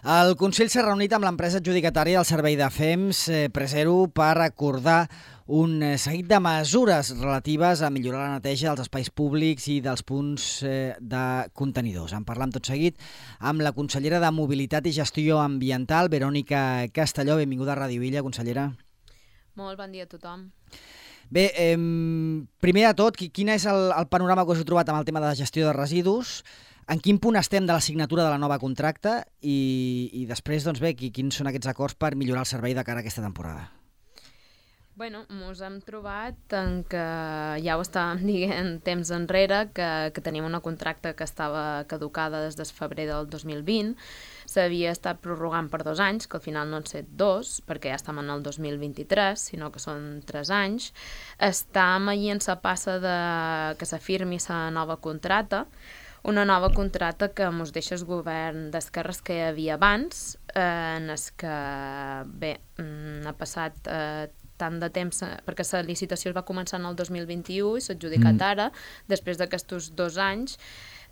El Consell s'ha reunit amb l'empresa adjudicatària del servei de FEMS Presero per acordar un seguit de mesures relatives a millorar la neteja dels espais públics i dels punts de contenidors. En parlam tot seguit amb la consellera de Mobilitat i Gestió Ambiental, Verònica Castelló. Benvinguda a Ràdio Illa, consellera. Molt bon dia a tothom. Bé, primer de tot, quin és el panorama que us heu trobat amb el tema de la gestió de residus? En quin punt estem de la signatura de la nova contracta? I després, doncs bé, quins són aquests acords per millorar el servei de cara a aquesta temporada? Bueno, ens hem trobat en que ja ho estàvem dient temps enrere, que tenim una contracta que estava caducada des de febrer del 2020, s'havia estat prorrogant per 2 anys, que al final no han set 2, perquè ja estem en el 2023, sinó que són 3 anys. Estem allí en la passa que s'afirmi la nova contracta, una nova contracta que ens deixa el govern d'esquerres que hi havia abans, en el que, bé, ha passat tant de temps, perquè la licitació va començar en el 2021 i s'ha adjudicat ara, després d'aquests 2 anys,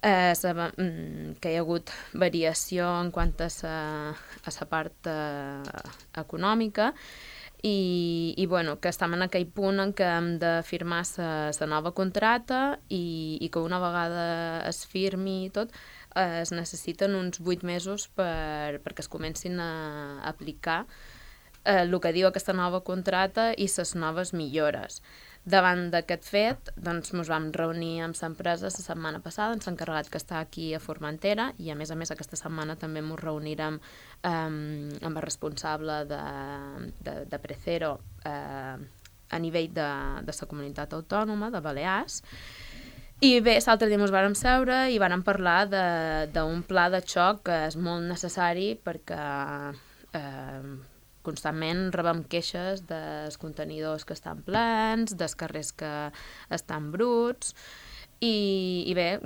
que hi ha hagut variació en quant a la part econòmica, i bueno, que estem en aquell punt en què hem de firmar la nova contracta i que una vegada es firmi i tot, es necessiten uns 8 mesos perquè es comencin a aplicar el que diu aquesta nova contracta i les noves millores. Davant d'aquest fet, doncs, ens vam reunir amb l'empresa la setmana passada, ens ha encarregat que està aquí a Formentera, i a més aquesta setmana també ens reunirem amb el responsable de Presero a nivell de la comunitat autònoma, de Balears. I bé, l'altre dia ens vàrem seure i vàrem parlar d'un pla de xoc que és molt necessari perquè constantment rebem queixes dels contenidors que estan plens, dels carrers que estan bruts, i bé,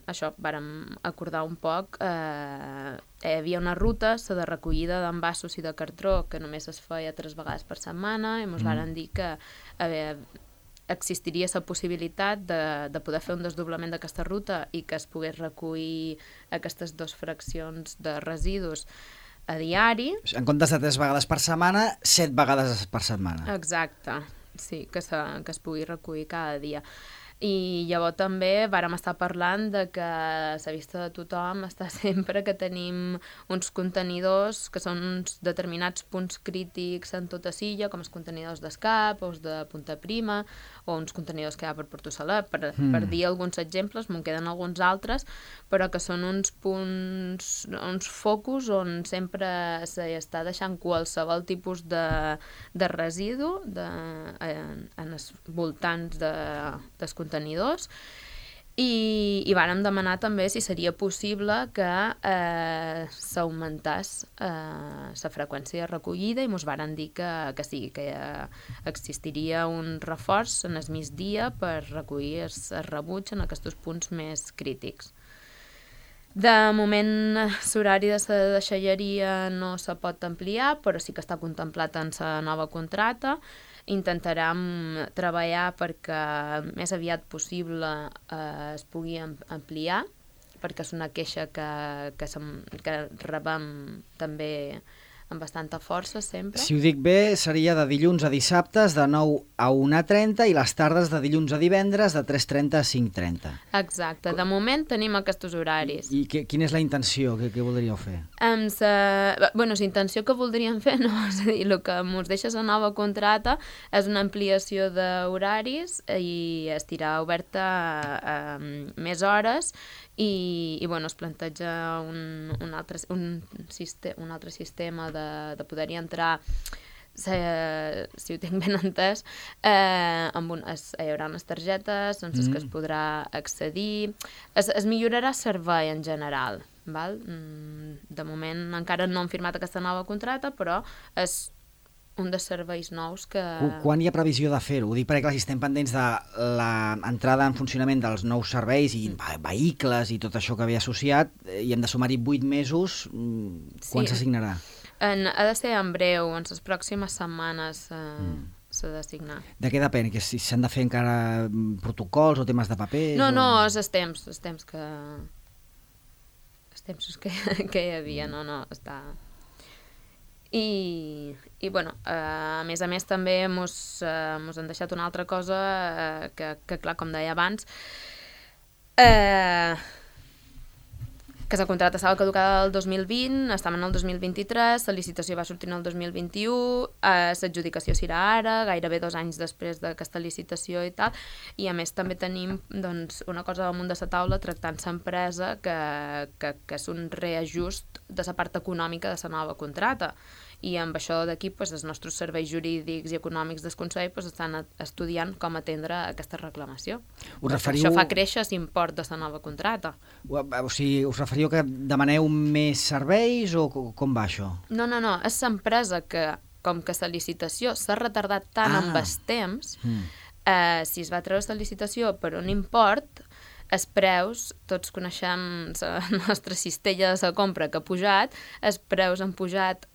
això, vàrem acordar un poc. Hi havia una ruta, la de recollida d'envasos i de cartró, que només es feia 3 vegades per setmana, i ens varen dir que existiria la possibilitat de poder fer un desdoblament d'aquesta ruta i que es pogués recollir aquestes 2 fraccions de residus a diari. En comptes de 3 vegades per setmana, 7 vegades per setmana. Exacte, sí, que es pugui recollir cada dia. I llavors també vàrem estar parlant de que la vista de tothom està sempre que tenim uns contenidors que són uns determinats punts crítics en tota Silla, com els contenidors d'Escap o els de Punta Prima, o uns contenidors que hi ha per Porto Salat, per dir alguns exemples, me'n queden alguns altres, però que són uns punts, uns focus on sempre s'està deixant qualsevol tipus de residu en els voltants dels contenidors, i vàrem demanar també si seria possible que s'augmentàs la freqüència de recollida, i ens varen dir que sí, que existiria un reforç en el migdia per recollir el rebuig en aquests punts més crítics. De moment, l'horari de la deixalleria no se pot ampliar, però sí que està contemplat en la nova contracta. Intentarem treballar perquè més aviat possible es pugui ampliar, perquè és una queixa que rebem també amb bastanta força sempre. Si ho dic bé, seria de dilluns a dissabtes de 9 a 1:30 i les tardes de dilluns a divendres de 3:30 a 5:30. Exacte, de moment tenim aquests horaris. I quina és la intenció? Què voldríeu fer? La intenció que voldríem fer, no, és a dir, el que ens deixa la nova contracta és una ampliació d'horaris i estirar oberta més hores, i bueno, es planteja un altre sistema de poder-hi entrar, si ho tinc ben entès, hi haurà unes targetes en les que es podrà accedir. Es millorarà el servei en general, val? De moment encara no hem firmat aquesta nova contracta, però és un dels serveis nous que... Quan hi ha previsió de fer-ho? Ho dic perquè si estem pendents de l'entrada en funcionament dels nous serveis i vehicles i tot això que ve associat, i hem de sumar-hi 8 mesos, quan s'assignarà? Ha de ser en breu, en les pròximes setmanes s'ha de signar. De què depèn? Que si s'han de fer encara protocols o temes de paper? No, és el temps que els temps que hi havia, no, està... I bueno, a més també mos han deixat una altra cosa que clar, com deia abans, que el contracte estava caducada el 2020, estem en el 2023, la licitació va sortir en el 2021, l'adjudicació serà ara, gairebé 2 anys després d'aquesta licitació i tal, i a més també tenim doncs, una cosa damunt de la taula tractant l'empresa que és un reajust de la part econòmica de la nova contracta. I amb això d'aquí els nostres serveis jurídics i econòmics del Consell estan estudiant com atendre aquesta reclamació. Això fa créixer l'import de la nova contracta. O sigui, us referiu que demaneu més serveis o com va això? No, és l'empresa que, com que la licitació s'ha retardat tant amb el temps, si es va treure la licitació per un import, els preus, tots coneixem la nostra cistella de la compra que ha pujat, els preus han pujat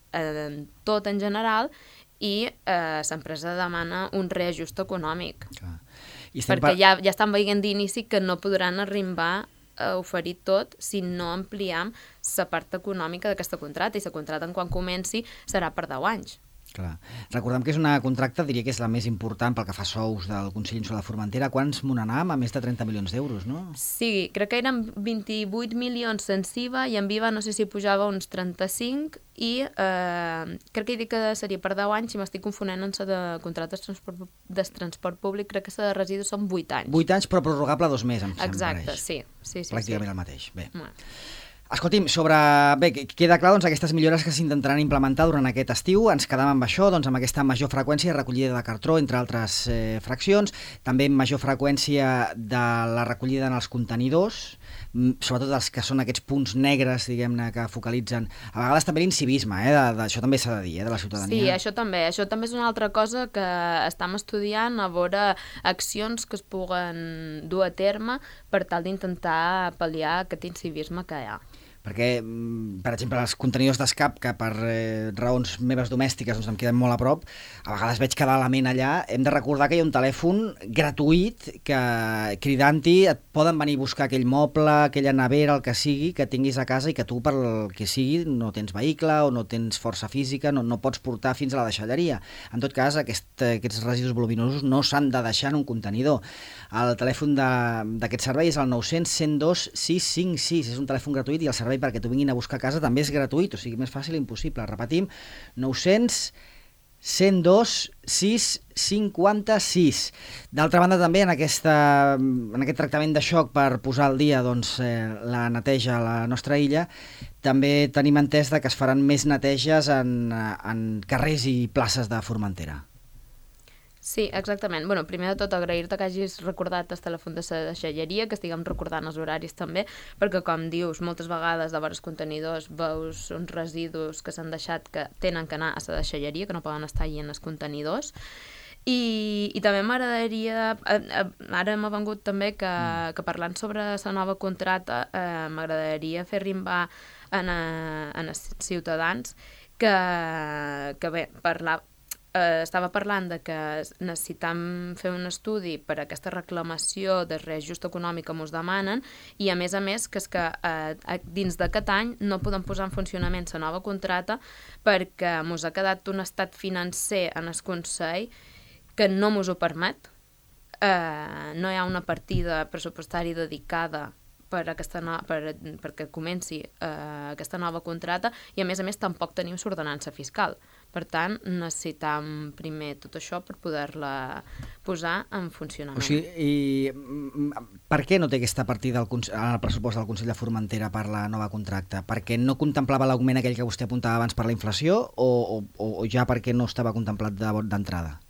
tot en general i l'empresa demana un reajust econòmic. Perquè ja estan veient d'inici que no podran arribar a oferir tot si no ampliem la part econòmica d'aquesta contracta, i la contracta quan comenci serà per 10 anys. Clar. Recordem que és una contracta, diria que és la més important pel que fa a sous del Consell Insular de Formentera. Quants monanam? A més de 30 milions d'euros, no? Sí, crec que eren 28 milions sense IVA i en IVA no sé si pujava uns 35 i crec que he dit que seria per 10 anys, si m'estic confonent en la de contractes de transport públic, crec que la de residus són 8 anys. 8 anys, però prorrogable 2 més, em sembla. Exacte, sí. Pràcticament el mateix. Bé. Escolti'm, queda clar aquestes millores que s'intentaran implementar durant aquest estiu. Ens quedam amb això, amb aquesta major freqüència de recollida de cartró, entre altres fraccions, també major freqüència de la recollida en els contenidors, sobretot els que són aquests punts negres, diguem-ne, que focalitzen. A vegades també l'incivisme, això també s'ha de dir, de la ciutadania. Sí, això també és una altra cosa que estem estudiant, a veure accions que es puguen dur a terme per tal d'intentar pal·liar aquest incivisme que hi ha. Perquè, per exemple, els contenidors d'escap, que per raons meves domèstiques em queden molt a prop, a vegades veig cada element allà. Hem de recordar que hi ha un telèfon gratuït que, cridant-hi, et poden venir a buscar aquell moble, aquella nevera, el que sigui, que tinguis a casa i que tu, per el que sigui, no tens vehicle o no tens força física, no pots portar fins a la deixalleria. En tot cas, aquests residus voluminosos no s'han de deixar en un contenidor. El telèfon d'aquest servei és el 900 102 656. És un telèfon gratuït i el servei perquè t'ho vinguin a buscar a casa també és gratuït, o sigui, més fàcil impossible. Repetim, 900 102 656. D'altra banda, també en aquest tractament de xoc per posar al dia la neteja a la nostra illa, també tenim entès que es faran més neteges en carrers i places de Formentera. Sí, exactament. Bueno, primer de tot, agrair-te que hagis recordat el telèfon de la deixalleria, que estiguem recordant els horaris també, perquè, com dius, moltes vegades de vores contenidors veus uns residus que s'han deixat que tenen que anar a la deixalleria, que no poden estar allà en els contenidors. I també m'agradaria, ara m'ha vengut també que parlant sobre la nova contracta, m'agradaria fer arribar a els ciutadans que bé, estava parlant de que necessitam fer un estudi per a aquesta reclamació de reajust econòmic que ens demanen i, a més, que és que dins d'aquest any no podem posar en funcionament la nova contracta perquè ens ha quedat un estat financer en el Consell que no ens ho permet. No hi ha una partida pressupostària dedicada perquè comenci aquesta nova contracta i, a més, tampoc tenim l'ordenança fiscal. Per tant, necessitam primer tot això per poder-la posar en funcionament. O sigui, per què no té aquesta partida al pressupost del Consell de Formentera per la nova contracta? Perquè no contemplava l'augment aquell que vostè apuntava abans per la inflació o ja perquè no estava contemplat d'entrada?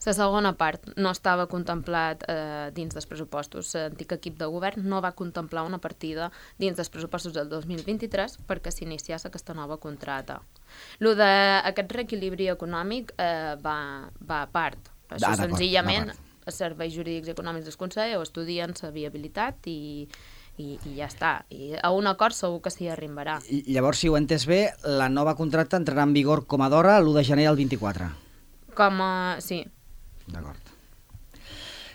La segona part no estava contemplat dins dels pressupostos. L'antic equip de govern no va contemplar una partida dins dels pressupostos del 2023 perquè s'iniciés aquesta nova contracta. Aquest reequilibri econòmic va a part. Això senzillament els serveis jurídics i econòmics del Consell ho estudien la viabilitat i ja està. I a un acord segur que s'hi arribarà. I llavors, si ho he entès bé, la nova contracta entrarà en vigor com a d'hora l'1 de gener del 24. Sí. D'acord.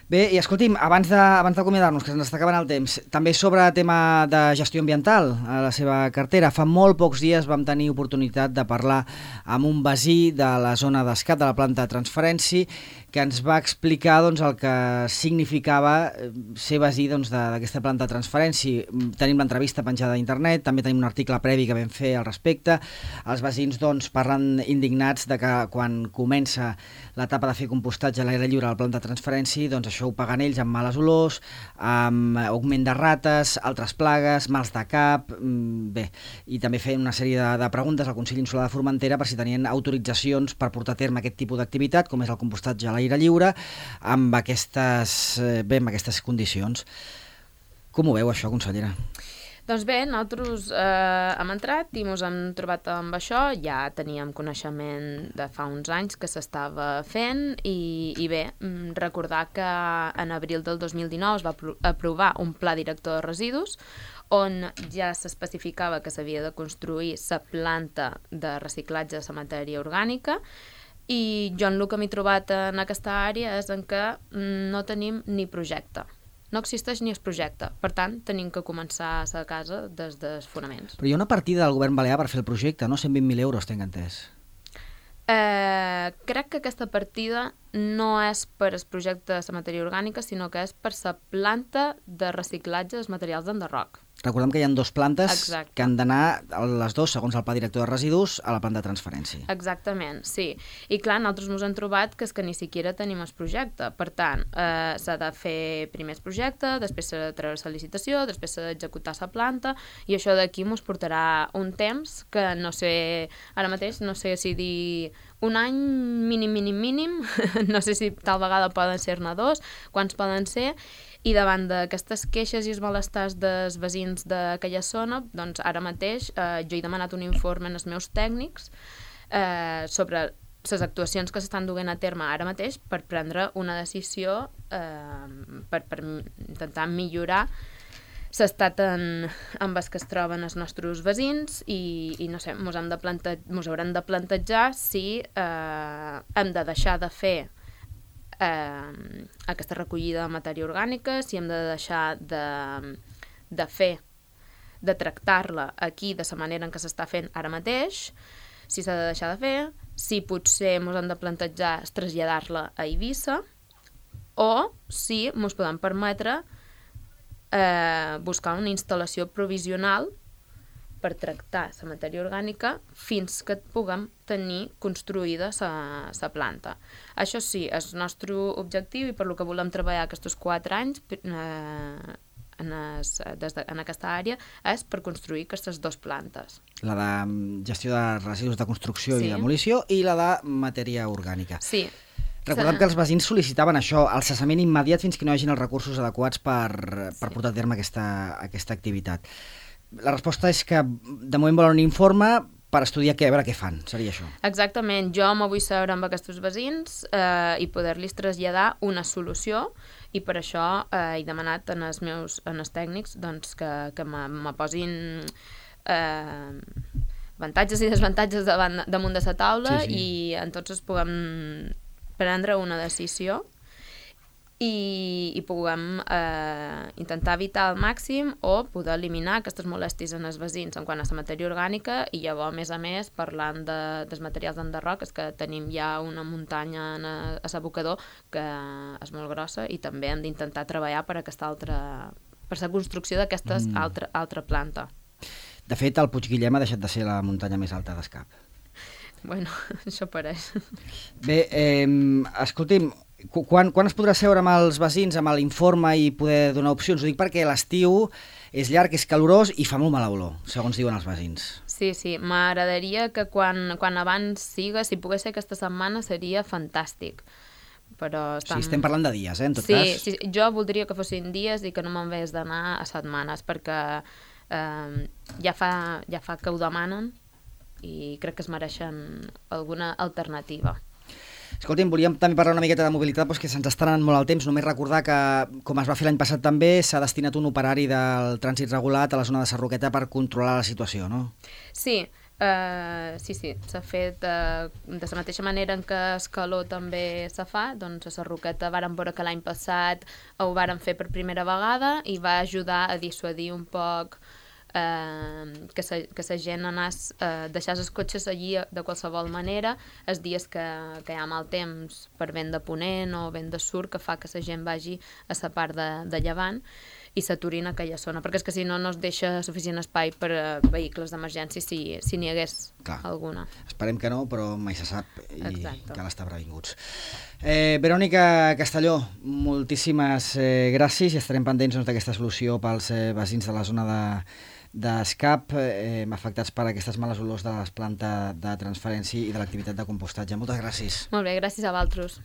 Bé, i escolti'm, abans d'acomiadar-nos, que se'ns està acabant el temps, també sobre tema de gestió ambiental a la seva cartera. Fa molt pocs dies vam tenir oportunitat de parlar amb un veí de la zona d'Escat, de la planta de transferència, que ens va explicar doncs, el que significava ser veí d'aquesta planta de transferència. Tenim l'entrevista penjada a internet, també tenim un article previ que vam fer al respecte. Els veïns doncs, parlen indignats de que quan comença l'etapa de fer compostatge a l'aire lliure a la planta de transferència, doncs això ho paguen ells amb males olors, amb augment de rates, altres plagues, mals de cap, bé, i també feien una sèrie de preguntes al Consell Insular de Formentera per si tenien autoritzacions per portar a terme aquest tipus d'activitat, com és el compostatge a l'aire lliure, amb aquestes condicions. Com ho veu això, consellera? Doncs bé, nosaltres hem entrat i ens hem trobat amb això. Ja teníem coneixement de fa uns anys que s'estava fent i bé, recordar que en abril del 2019 es va aprovar un pla director de residus on ja s'especificava que s'havia de construir la planta de reciclatge de la matèria orgànica i jo en el que m'he trobat en aquesta àrea és en què no tenim ni projecte. No existeix ni es projecte. Per tant, tenim que començar a la casa des dels fonaments. Però hi ha una partida del govern balear per fer el projecte, no? 120.000 euros, tenc entès. Crec que aquesta partida no és per al projecte de la matèria orgànica, sinó que és per la planta de reciclatge dels materials d'enderroc. Recordem que hi ha 2 plantes Exacte. que han d'anar, les 2, segons el pla director de residus, a la planta de transferència. Exactament, sí. I clar, nosaltres ens hem trobat que és que ni siquiera tenim el projecte. Per tant, s'ha de fer primer el projecte, després s'ha de treure la licitació, després s'ha d'executar la planta, i això d'aquí ens portarà un temps que no sé, ara mateix, no sé si dir un any mínim, no sé si tal vegada poden ser-ne 2, quants poden ser, i davant d'aquestes queixes i els malestars dels veïns d'aquella zona, doncs ara mateix jo he demanat un informe als meus tècnics sobre les actuacions que s'estan duent a terme ara mateix per prendre una decisió per intentar millorar l'estat en el que es troben els nostres veïns i no sé, mos haurem de plantejar si hem de deixar de fer aquesta recollida de matèria orgànica, si hem de deixar de fer, de tractar-la aquí de la manera en què s'està fent ara mateix, si s'ha de deixar de fer, si potser ens hem de plantejar traslladar-la a Eivissa o si ens podem permetre buscar una instal·lació provisional per tractar la matèria orgànica fins que puguem tenir construïda la planta. Això sí, el nostre objectiu i per lo que volem treballar aquests 4 anys en aquesta àrea és per construir aquestes 2 plantes. La de gestió de residus de construcció i demolició i la de matèria orgànica. Sí. Recordem que els veïns sol·licitaven això, el cessament immediat fins que no hi hagin els recursos adequats per portar a terme aquesta activitat. La resposta és que de moment volen un informe per estudiar a veure què fan, seria això. Exactament, jo me vull seure amb aquests veïns i poder-los traslladar una solució i per això he demanat als tècnics doncs, que me posin avantatges i desavantatges damunt de la taula i en tots es puguem prendre una decisió i puguem intentar evitar al màxim o poder eliminar aquestes molèsties en els veïns en quant a la matèria orgànica i llavors, a més, parlant dels materials d'enderroc, és que tenim ja una muntanya a l'abocador que és molt grossa i també hem d'intentar treballar per la construcció d'aquesta altra planta. De fet, el Puig Guillem ha deixat de ser la muntanya més alta d'Escap. Bueno, això pareix. Bé, escolti'm, quan es podrà seure amb els veïns, amb l'informe i poder donar opcions? Ho dic perquè l'estiu és llarg, és calorós i fa molt mala olor, segons diuen els veïns. Sí, m'agradaria que quan abans siga, si pogués ser aquesta setmana, seria fantàstic. Però Sí, estem parlant de dies, en tot cas. Sí, jo voldria que fossin dies i que no me'n vés d'anar a setmanes, perquè ja fa que ho demanen i crec que es mereixen alguna alternativa. Escolti'm, volíem també parlar una miqueta de mobilitat, doncs que se'ns està anant molt el temps. Només recordar que, com es va fer l'any passat també, s'ha destinat un operari del trànsit regulat a la zona de Sarroqueta per controlar la situació, no? Sí, Sí, s'ha fet de la mateixa manera en què Escaló també se fa, doncs a Sarroqueta vàrem veure que l'any passat ho vàrem fer per primera vegada i va ajudar a dissuadir un poc que la gent anés deixar els cotxes allí de qualsevol manera els dies que hi ha mal temps per vent de ponent o vent de sud, que fa que la gent vagi a la part de llevant i s'aturin a aquella zona, perquè és que si no no es deixa suficient espai per a vehicles d'emergència si n'hi hagués alguna. Esperem que no, però mai se sap i Exacte. Cal estar previnguts. Verònica Castelló, moltíssimes gràcies i estarem pendents d'aquesta solució pels veïns de la zona d'Escap afectats per aquestes males olors de les plantes de transferència i de l'activitat de compostatge. Moltes gràcies. Molt bé, gràcies a vosaltres.